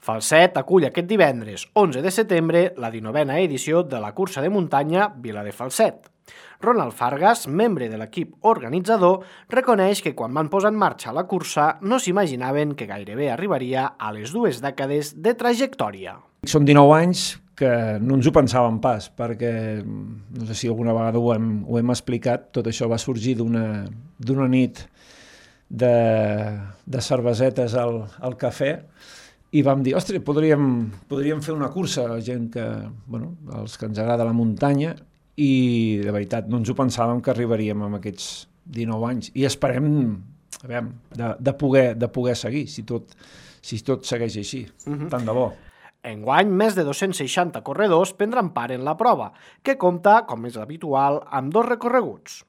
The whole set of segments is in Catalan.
Falset acull aquest divendres 11 de setembre la 19a edició de la cursa de muntanya Vila de Falset. Ronald Fargas, membre de l'equip organitzador, reconeix que quan van posar en marxa la cursa no s'imaginaven que gairebé arribaria a les 2 dècades de trajectòria. Són 19 anys que no ens ho pensàvem pas, perquè no sé si alguna vegada ho hem explicat, tot això va sorgir d'una nit de cervesetes al cafè i vam dir, ostres, podríem fer una cursa, gent que, els que ens agrada la muntanya, i de veritat no ens ho pensàvem que arribaríem amb aquests 19 anys i esperem de poder seguir si tot segueix així, tant de bo. Enguany, més de 260 corredors prendran part en la prova, que compta, com és habitual, amb 2 recorreguts.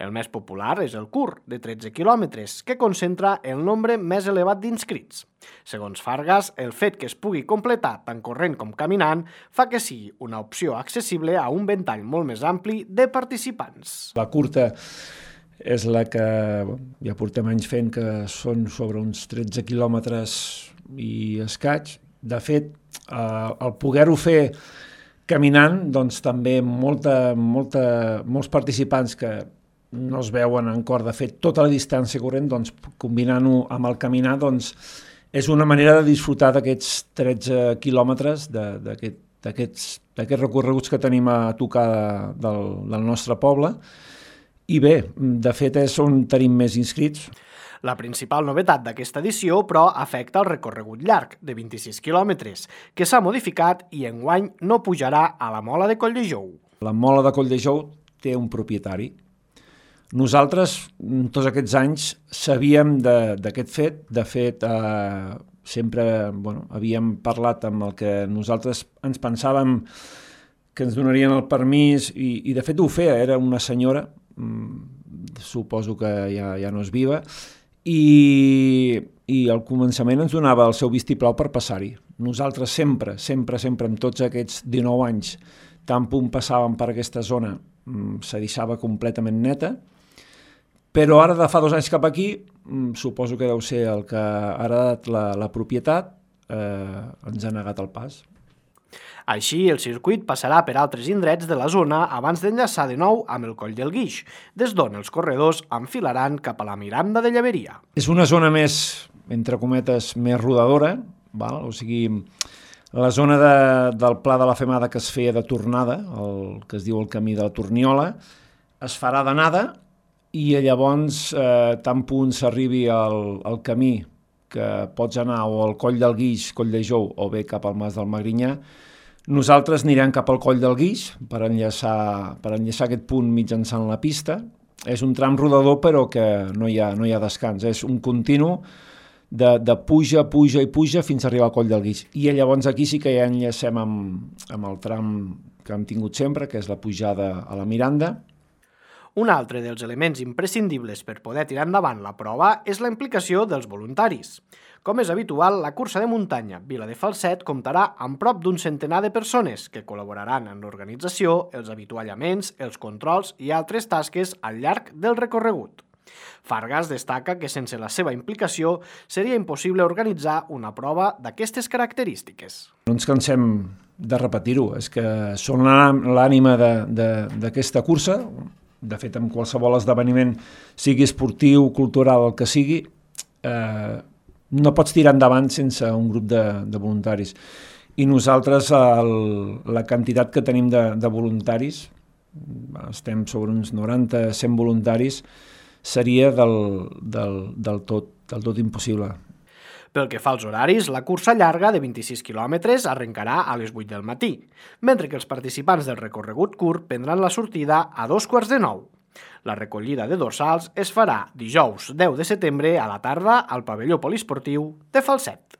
El més popular és el curt, de 13 quilòmetres, que concentra el nombre més elevat d'inscrits. Segons Fargas, el fet que es pugui completar tant corrent com caminant fa que sigui una opció accessible a un ventall molt més ampli de participants. La curta és la que ja portem anys fent, que són sobre uns 13 quilòmetres i escaig. De fet, el poder-ho fer caminant, doncs també molts participants que no es veuen en cor de fer tota la distància corrent, doncs combinant-ho amb el caminar, doncs és una manera de disfrutar d'aquests 13 quilòmetres, d'aquests recorreguts que tenim a tocar del nostre poble. I bé, de fet és on tenim més inscrits. La principal novetat d'aquesta edició, però, afecta el recorregut llarg, de 26 quilòmetres, que s'ha modificat i enguany no pujarà a la Mola de Colldejou. La Mola de Colldejou té un propietari. Nosaltres, tots aquests anys, sabíem d'aquest fet. De fet, sempre havíem parlat amb el que nosaltres ens pensàvem que ens donarien el permís i de fet ho feia. Era una senyora, suposo que ja no és viva, i al començament ens donava el seu vistiplau per passar-hi. Nosaltres sempre, en tots aquests 19 anys, tant punt passàvem per aquesta zona, se deixava completament neta, però ara de fa 2 anys cap aquí, suposo que deu ser el que ha heredat la propietat, ens ha negat el pas. Així, el circuit passarà per altres indrets de la zona abans d'enllaçar de nou amb el Coll del Guix, des d'on els corredors enfilaran cap a la Miranda de Llaveria. És una zona més, entre cometes, més rodadora, o sigui, la zona del Pla de la Femada que es feia de tornada, el que es diu el camí de la Torniola, es farà d'anada i llavors, tant punt s'arribi al camí que pots anar o al Coll del Guix, Colldejou, o bé cap al Mas del Magrinyà, nosaltres anirem cap al Coll del Guix per enllaçar aquest punt mitjançant la pista. És un tram rodador però que no hi ha descans, és un continu de puja fins a arribar al Coll del Guix. I llavors aquí sí que ja enllacem amb el tram que hem tingut sempre, que és la pujada a la Miranda. Un altre dels elements imprescindibles per poder tirar endavant la prova és la implicació dels voluntaris. Com és habitual, la cursa de muntanya Vila de Falset comptarà amb prop d'un centenar de persones que col·laboraran en l'organització, els avituallaments, els controls i altres tasques al llarg del recorregut. Fargas destaca que sense la seva implicació seria impossible organitzar una prova d'aquestes característiques. No ens cansem de repetir-ho, és que són l'ànima d'aquesta cursa. De fet, en qualsevol esdeveniment, sigui esportiu, cultural, el que sigui, no pots tirar endavant sense un grup de voluntaris. I nosaltres, la quantitat que tenim de voluntaris, estem sobre uns 90-100 voluntaris, seria del tot impossible. Pel que fa als horaris, la cursa llarga de 26 quilòmetres arrencarà a les 8 del matí, mentre que els participants del recorregut curt prendran la sortida a 8:45. La recollida de dorsals es farà dijous 10 de setembre a la tarda al pavelló poliesportiu de Falset.